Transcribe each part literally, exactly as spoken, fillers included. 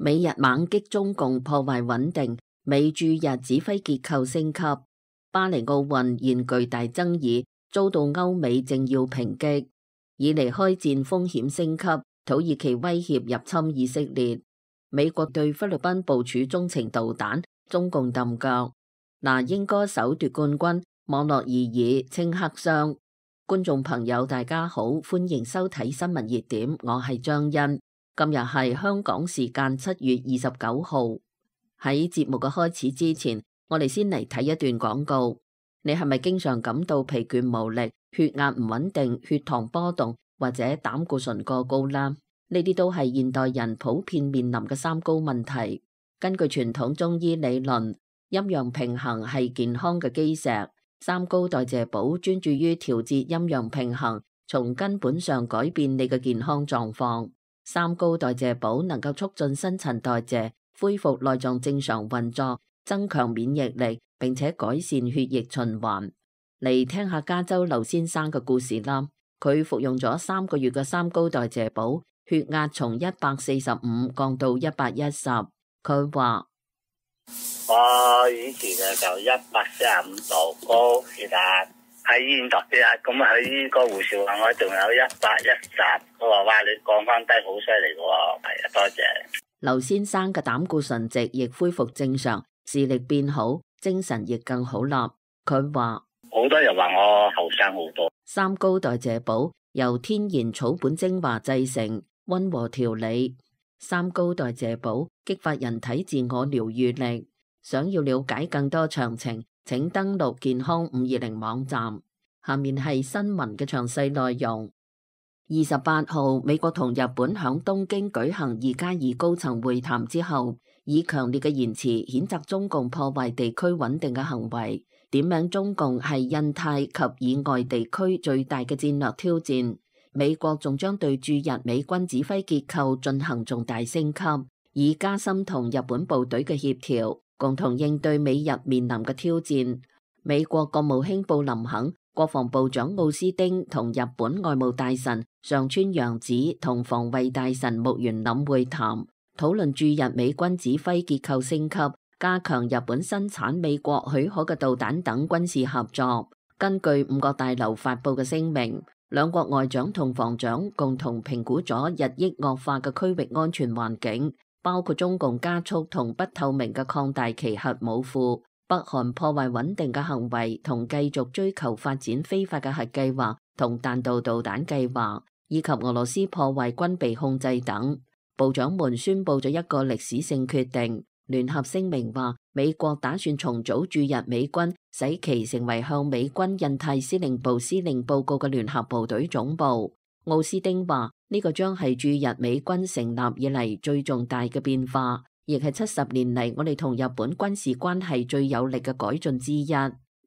美日猛擊中共破壞穩定，美駐日指揮結構升級。巴黎奧運現巨大爭議，遭到歐美政要抨擊。以嚟開戰風險升級，土耳其威脅入侵以色列。美國對菲律賓部署中程導彈，中共揼腳。那英歌手奪冠軍，網絡異議稱黑箱。觀眾朋友大家好，歡迎收睇新聞熱點，我係張欣。今日係香港時間七月二十九號。喺節目嘅開始之前，我哋先嚟睇一段廣告。你係咪經常感到疲倦無力、血壓唔穩定、血糖波動或者膽固醇過高啦？呢啲都係現代人普遍面臨嘅三高問題。根據傳統中醫理論，陰陽平衡係健康嘅基石。三高代謝寶專注於調節陰陽平衡，從根本上改變你嘅健康狀況。三高代謝寶能夠促進新陳代謝，恢復內臟正常運作，增強免疫力，並且改善血液循環。嚟聽下加州劉先生嘅故事啦。佢服用咗三個月嘅三高代謝寶，血壓從一百四十五降到一百一十。佢話：我以前嘅就一百四十五度高血壓，喺醫院度血壓，咁啊喺個護士話我仲有一百一十，佢話哇你降翻低好犀利喎，係啊多謝。劉先生嘅膽固醇值亦恢復正常，視力變好，精神亦更好啦。佢話好多人話我後生好多。三高代謝寶由天然草本精華製成，溫和調理。三高代謝寶激發人體自我療愈力。想要了解更多詳情，請登錄健康五二零網站。下面係新聞嘅詳細內容。二十八號，美國同日本響東京舉行二加二高層會談之後，以強烈嘅言辭譴責中共破壞地區穩定嘅行為，點名中共係印太及以外地區最大嘅戰略挑戰。美國仲將對駐日美軍指揮結構進行重大升級，以加深同日本部隊嘅協調，共同應對美日面臨嘅挑戰。美國國務卿布林肯、國防部長奧斯汀同日本外務大臣上川陽子同防衛大臣木原稔會談，討論駐日美軍指揮結構升級、加強日本生產美國許可嘅導彈等軍事合作。根據五角大樓發佈嘅聲明，兩國外長同防長共同評估咗日益惡化嘅區域安全環境，包括中共加速同不透明嘅擴大其核武庫、北韓破壞穩定嘅行為同繼續追求發展非法嘅核計劃同彈道導彈計劃，以及俄羅斯破壞軍備控制等。部長們宣布咗一個歷史性決定。聯合聲明話，美國打算重組駐日美軍，使其成為向美軍印太司令部司令報告嘅聯合部隊總部。奧斯汀話，呢個將係駐日美軍成立以嚟最重大嘅變化，亦係七十年嚟我哋同日本軍事關係最有力嘅改進之一。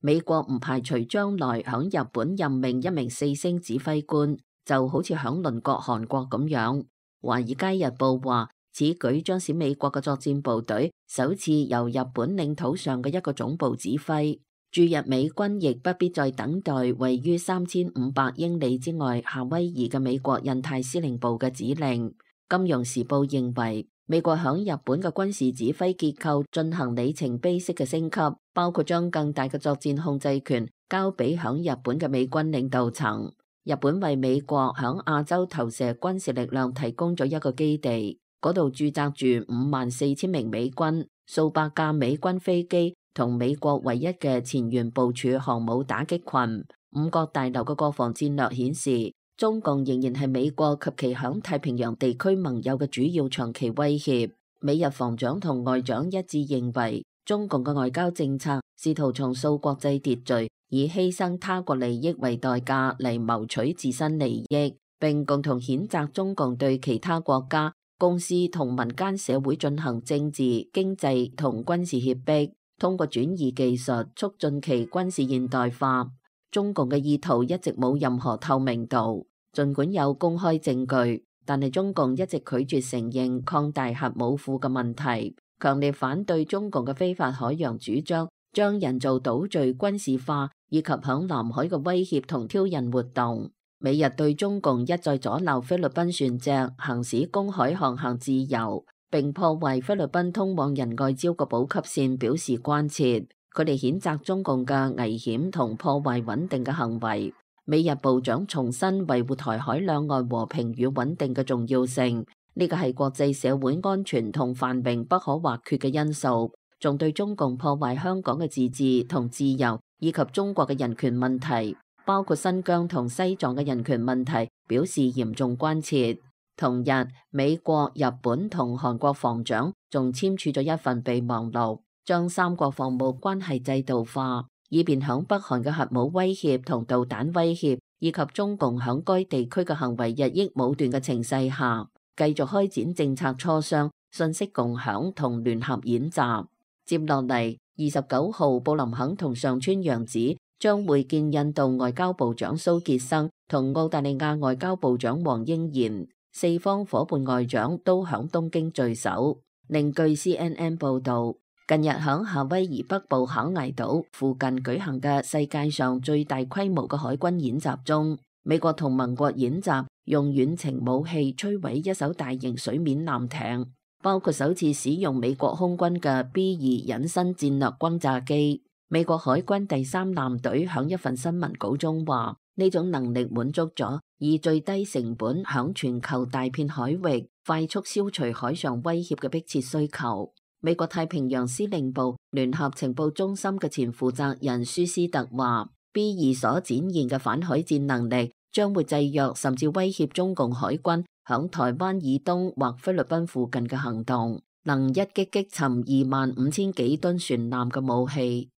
美國唔排除將來響日本任命一名四星指揮官，就好似響鄰國韓國咁樣。華爾街日報話，此舉將使美國嘅作戰部隊首次由日本領土上嘅一個總部指揮，駐日美軍亦不必再等待位於三千五百英里之外夏威夷嘅美國印太司令部嘅指令。金融時報認為，美國響日本嘅軍事指揮結構進行里程碑式嘅升級，包括將更大嘅作戰控制權交俾響日本嘅美軍領導層。日本為美國響亞洲投射軍事力量提供咗一個基地。嗰度駐紮住五萬四千名美軍、數百架美軍飛機同美國唯一嘅前沿部署航母打擊群。五角大樓嘅國防戰略顯示，中共仍然係美國及其響太平洋地區盟友嘅主要長期威脅。美日防長同外長一致認為，中共嘅外交政策試圖重塑國際秩序，以犧牲他國利益為代價嚟謀取自身利益，並共同譴責中共對其他國家、公司同民間社會進行政治、經濟同軍事脅迫，通過轉移技術促進其軍事現代化。中共嘅意圖一直冇任何透明度，儘管有公開證據，但係中共一直拒絕承認擴大核武庫嘅問題，強烈反對中共嘅非法海洋主張，將人造島嶼軍事化，以及響南海嘅威脅同挑釁活動。美日對中共一再阻撓菲律賓船隻行使公海航行自由，並破壞菲律賓通往仁愛礁嘅補給線表示關切。佢哋譴責中共嘅危險同破壞穩定嘅行為。美日部長重申維護台海兩岸和平與穩定嘅重要性，呢個係國際社會安全同繁榮不可或缺嘅因素，仲對中共破壞香港嘅自治同自由以及中國嘅人權問題，包括新疆同西藏嘅人權問題表示嚴重關切。同日，美國、日本同韓國防長仲簽署咗一份備忘錄，將三國防務關係制度化，以便響北韓嘅核武威脅同導彈威脅，以及中共響該地區嘅行為日益武斷嘅情勢下，繼續開展政策磋商、信息共享同聯合演習。接落嚟，二十九號布林肯同上川陽子將會見印度外交部長蘇傑生同澳大利亞外交部長黃英賢，四方伙伴外長都響東京聚首。另據 C N N 報道，近日響夏威夷北部考崖島附近舉行嘅世界上最大規模嘅海軍演習中，美國同盟國演習用遠程武器摧毀一艘大型水面艦艇，包括首次使用美國空軍嘅 B 二隱身戰略轟炸機。美國海軍第三艦隊響一份新聞稿中話，呢種能力滿足咗以最低成本響全球大片海域快速消除海上威脅嘅迫切需求。美國太平洋司令部聯合情報中心嘅前負責人舒斯特話 ，B 二所展現嘅反海戰能力將會制約甚至威脅中共海軍響台灣以東或菲律賓附近嘅行動，能一擊擊沉二萬五千幾噸船艦嘅武器。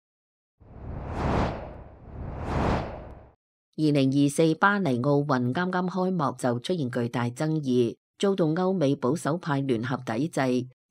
二零二四巴黎奧運啱啱開幕就出現巨大爭議，遭到歐美保守派聯合抵制。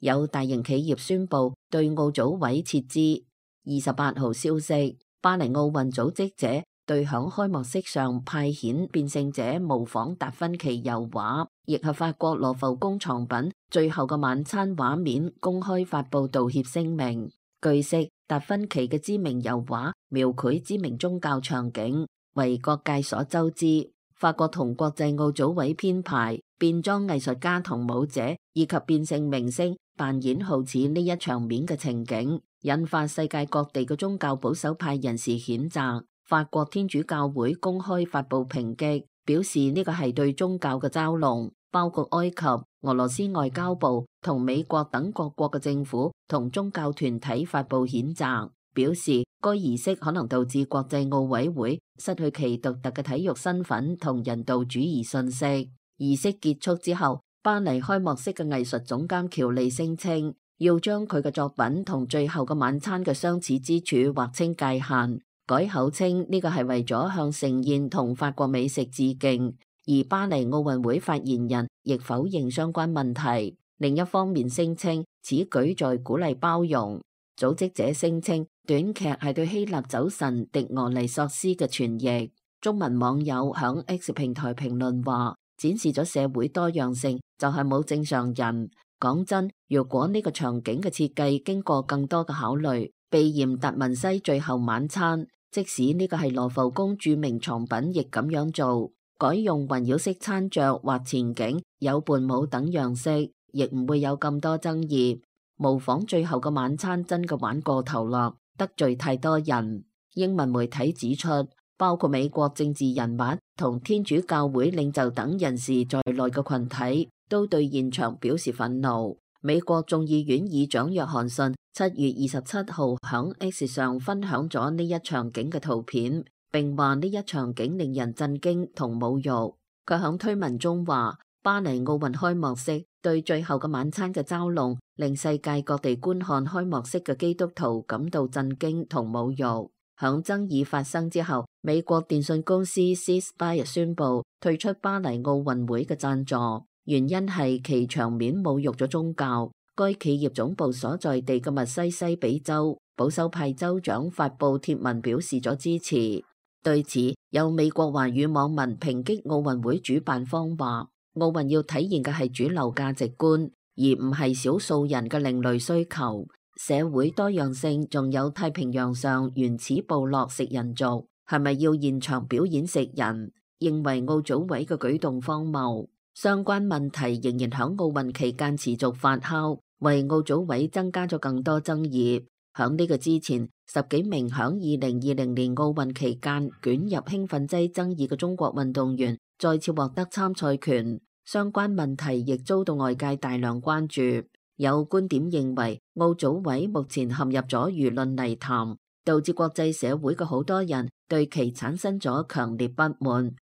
有大型企業宣布對奧組委撤資。二十八號消息，巴黎奧運組織者對響開幕式上派遣變性者模仿達芬奇油畫，亦係法國羅浮宮藏品最後嘅晚餐畫面公開發布道歉聲明。據悉，達芬奇嘅知名油畫描繪知名宗教場景，為各界所周知。法國同國際奧組委編排變裝藝術家同舞者以及變性明星扮演好似呢一場面嘅情景，引發世界各地嘅宗教保守派人士譴責。法國天主教會公開發布抨擊，表示呢個係對宗教嘅嘲弄，包括埃及、俄羅斯外交部同美國等各國嘅政府同宗教團體發布譴責，表示該儀式可能導致國際奧委會失去其獨特嘅體育身份同人道主義信息。儀式結束之後，巴黎開幕式嘅藝術總監喬利聲稱，要將佢嘅作品同最後嘅晚餐嘅相似之處劃清界限，改口稱呢個係為咗向盛宴同法國美食致敬。而巴黎奧運會發言人亦否認相關問題，另一方面聲稱此舉在鼓勵包容。組織者聲稱短劇係對希臘酒神狄俄尼索斯嘅傳譯。中文網友響 X 平台評論話，展示咗社會多樣性，就係冇正常人。講真，如果呢個場景嘅設計經過更多嘅考慮，避嫌達文西最後晚餐，即使呢個係羅浮宮著名藏品，亦咁樣做，改用環繞式餐桌或前景有伴舞等樣式，亦唔會有咁多爭議。模仿最後嘅晚餐真嘅玩過頭咯，得罪太多人。英文媒體指出，包括美國政治人物同天主教會領袖等人士在內嘅群體都對現場表示憤怒。美國眾議院議長約翰遜七月二十七號響 X 上分享咗呢一場景嘅圖片，並話呢一場景令人震驚同侮辱。佢響推文中話，巴黎奧運開幕式對最後嘅晚餐嘅嘲弄，令世界各地觀看開幕式嘅基督徒感到震驚同侮辱。響爭議發生之後，美國電信公司 C Spire 宣布退出巴黎奧運會嘅贊助，原因係其場面侮辱咗宗教。該企業總部所在地嘅密西西比州保守派州長發布貼文表示咗支持。對此，有美國華語網民抨擊奧運會主辦方話，奧運要體現嘅係主流價值觀，而唔係少數人嘅另類需求。社會多樣性，仲有太平洋上原始部落食人族，係咪要現場表演食人？認為奧組委嘅舉動荒謬。相關問題仍然響奧運期間持續發酵，為奧組委增加咗更多爭議。響呢個之前，十幾名響二零二零年奧運期間捲入興奮劑爭議嘅中國運動員再次獲得參賽權，相關問題亦遭到外界大量關注。有觀點認為，奧組委目前陷入咗輿論泥潭，導致國際社會嘅好多人對其產生咗強烈不滿。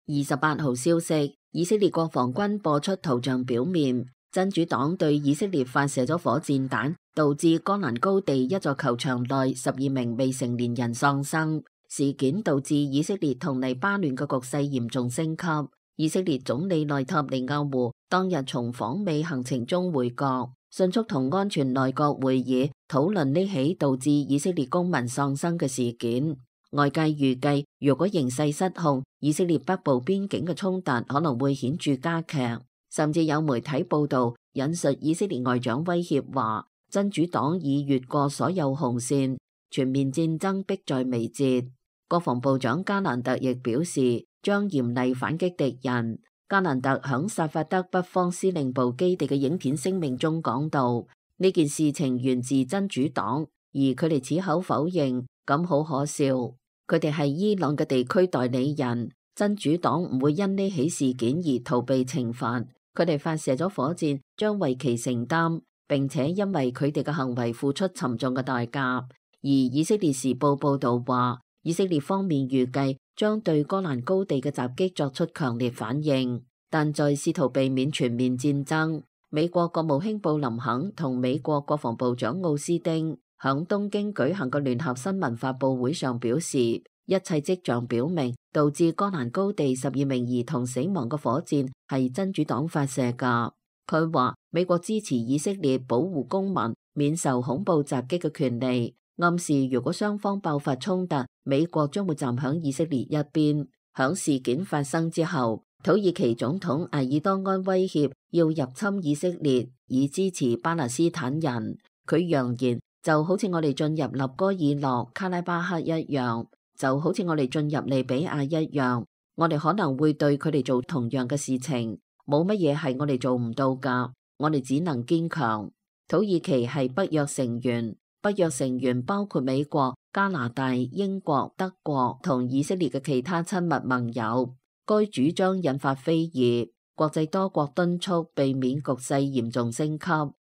二十八號消息，以色列國防軍播出圖像表面，真主黨對以色列發射咗火箭彈，導致戈蘭高地一座球場內十二名未成年人喪生。事件導致以色列同黎巴嫩嘅局勢嚴重升級。以色列總理內塔尼亞胡當日從訪美行程中回國，迅速同安全內閣會議討論呢起導致以色列公民喪生嘅事件。外界預計，如果形勢失控，以色列北部邊境嘅衝突可能會顯著加劇。甚至有媒體報道引述以色列外長威脅話，真主黨已越過所有紅線，全面戰爭迫在眉睫。國防部長加蘭特亦表示，將嚴厲反擊敵人。加蘭特響薩法德北方司令部基地嘅影片聲明中講到，呢件事情源自真主黨，而佢哋矢口否認，咁好可笑。佢哋係伊朗嘅地區代理人，真主黨唔會因呢起事件而逃避懲罰。佢哋發射咗火箭，將為其承擔，並且因為佢哋嘅行為付出沉重嘅代價。而以色列時報報道話，以色列方面預計將對戈蘭高地嘅襲擊作出強烈反應，但在試圖避免全面戰爭。美國國務卿布林肯同美國國防部長奧斯汀響東京舉行嘅聯合新聞發佈會上表示，一切跡象表明，導致戈蘭高地十二名兒童死亡嘅火箭係真主黨發射㗎。佢話美國支持以色列保護公民免受恐怖襲擊嘅權利，暗示如果雙方爆發衝突，美國將會站響以色列一邊。響事件發生之後，土耳其總統埃爾多安威脅要入侵以色列，以支持巴勒斯坦人。佢揚言，就好似我哋進入納戈爾諾卡拉巴克一樣，就好似我哋進入利比亞一樣，我哋可能會對佢哋做同樣嘅事情，冇乜嘢係我哋做唔到㗎，我哋只能堅強。土耳其係北約成員，北約成員包括美國、加拿大、英國、德國同以色列嘅其他親密盟友。該主張引發非議，國際多國敦促避免局勢嚴重升級，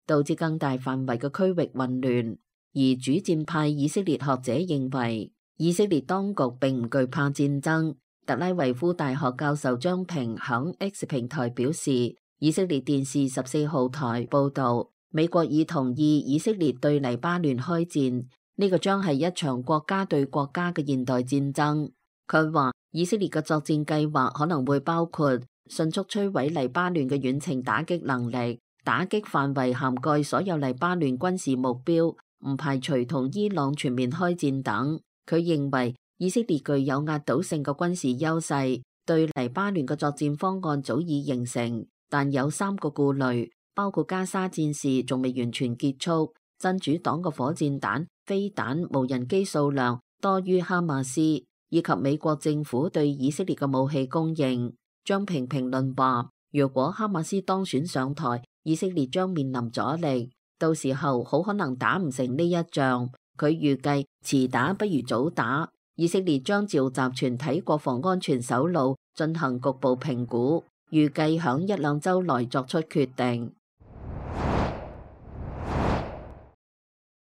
導致更大範圍嘅區域混亂。而主戰派以色列學者認為，以色列當局並唔懼怕戰爭。特拉維夫大學教授張平響 X 平台表示，以色列電視十四號台報道，美國已同意以色列對黎巴嫩開戰，呢個將係一場國家對國家嘅現代戰爭。佢話，以色列嘅作戰計劃可能會包括迅速摧毀黎巴嫩嘅遠程打擊能力，打擊範圍涵蓋所有黎巴嫩軍事目標，唔排除同伊朗全面開戰等。佢認為以色列具有壓倒性嘅軍事優勢，對黎巴嫩嘅作戰方案早已形成，但有三個顧慮，包括加沙戰事仲未完全結束，真主黨嘅火箭彈、飛彈、無人機數量多於哈馬斯，以及美國政府對以色列嘅武器供應。張平評論話，如果哈馬斯當選上台，以色列將面臨阻力，到時候好可能打唔成呢一仗。佢預計遲打不如早打，以色列將召集全體國防安全首腦進行局部評估，預計響一兩週內作出決定。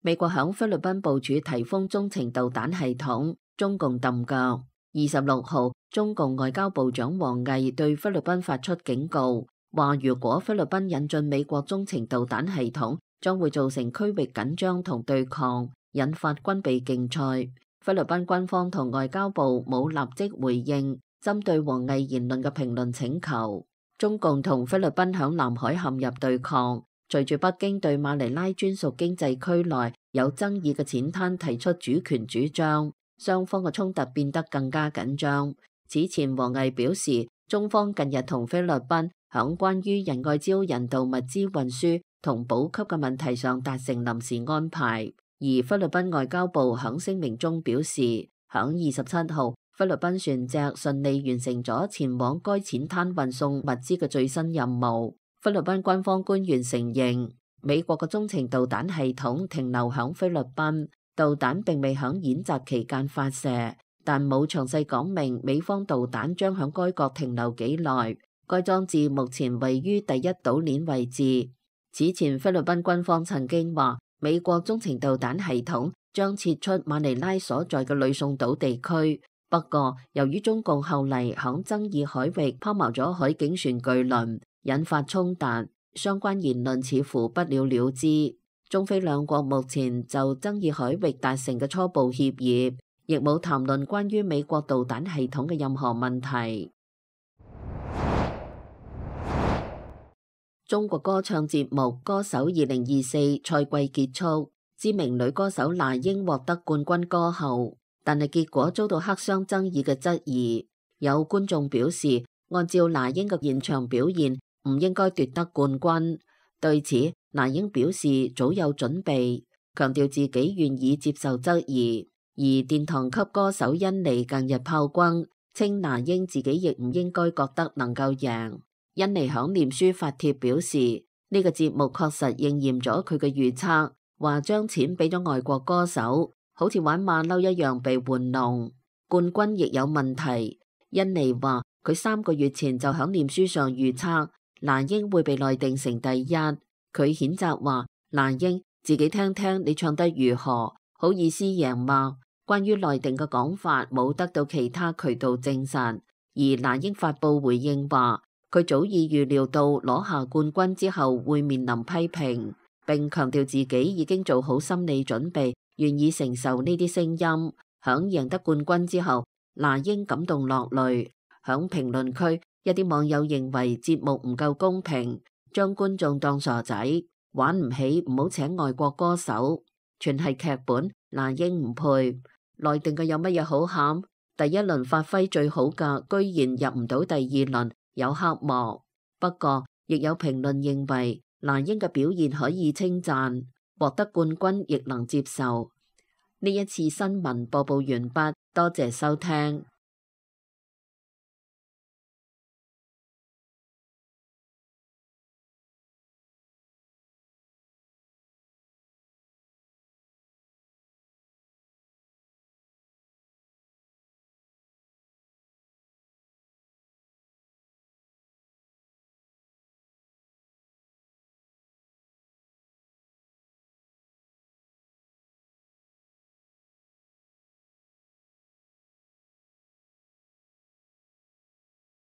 美國響菲律賓部署提風中程導彈系統，中共揼腳。二十六號，中共外交部長王毅對菲律賓發出警告，話如果菲律賓引進美國中程導彈系統，將會造成區域緊張同對抗，引發軍備競賽。菲律賓軍方同外交部冇立即回應針對王毅言論嘅評論請求。中共同菲律賓響南海陷入對抗，隨住北京對馬尼拉專屬經濟區內有爭議嘅淺灘提出主權主張，雙方嘅衝突變得更加緊張。此前王毅表示，中方近日同菲律賓響關於仁愛礁人道物資運輸同補給嘅問題上達成臨時安排。而菲律賓外交部響聲明中表示，響二十七號菲律賓船隻順利完成咗前往該淺灘運送物資嘅最新任務。菲律賓軍方官員承認，美國嘅中程導彈系統停留響菲律賓，導彈並未響演習期間發射，但冇詳細講明美方導彈將響該國停留幾耐。該裝置目前位於第一島鏈位置。此前菲律賓軍方曾經話，美國中程導彈系統將撤出馬尼拉所在嘅呂宋島地區。不過，由於中共後嚟響爭議海域拋錨咗海警船巨輪，引發衝突，相關言論似乎不了了之。中菲兩國目前就爭議海域達成嘅初步協議，亦冇談論關於美國導彈系統嘅任何問題。中國歌唱節目《歌手二零二四》賽季結束，知名女歌手那英獲得冠軍歌后，但係結果遭到黑箱爭議嘅質疑。有觀眾表示，按照那英嘅現場表現，唔應該奪得冠軍。對此，那英表示早有準備，強調自己願意接受質疑。而殿堂級歌手甄妮近日炮轟，稱那英自己亦唔應該覺得能夠贏。甄妮響臉書發帖表示，呢個節目確實應驗咗佢嘅預測，話將錢俾咗外國歌手，好似玩馬騮一樣被玩弄。冠軍亦有問題。甄妮話佢三個月前就響臉書上預測那英會被內定成第一。佢譴責話那英自己聽聽你唱得如何，好意思贏嗎？關於內定嘅講法冇得到其他渠道證實。而那英發佈回應話，佢早已預料到攞下冠軍之後會面臨批評，並強調自己已經做好心理準備，願意承受呢啲聲音。響贏得冠軍之後，那英感動落淚。響評論區，一啲網友認為節目唔夠公平，將觀眾當傻仔，玩唔起唔好請外國歌手，全係劇本，那英唔配。內定嘅有乜嘢好喊？第一輪發揮最好嘅，居然入唔到第二輪。有黑幕。不過亦有評論認為那英嘅表現可以稱讚，獲得冠軍亦能接受。呢一次新聞播報完畢，多謝收聽。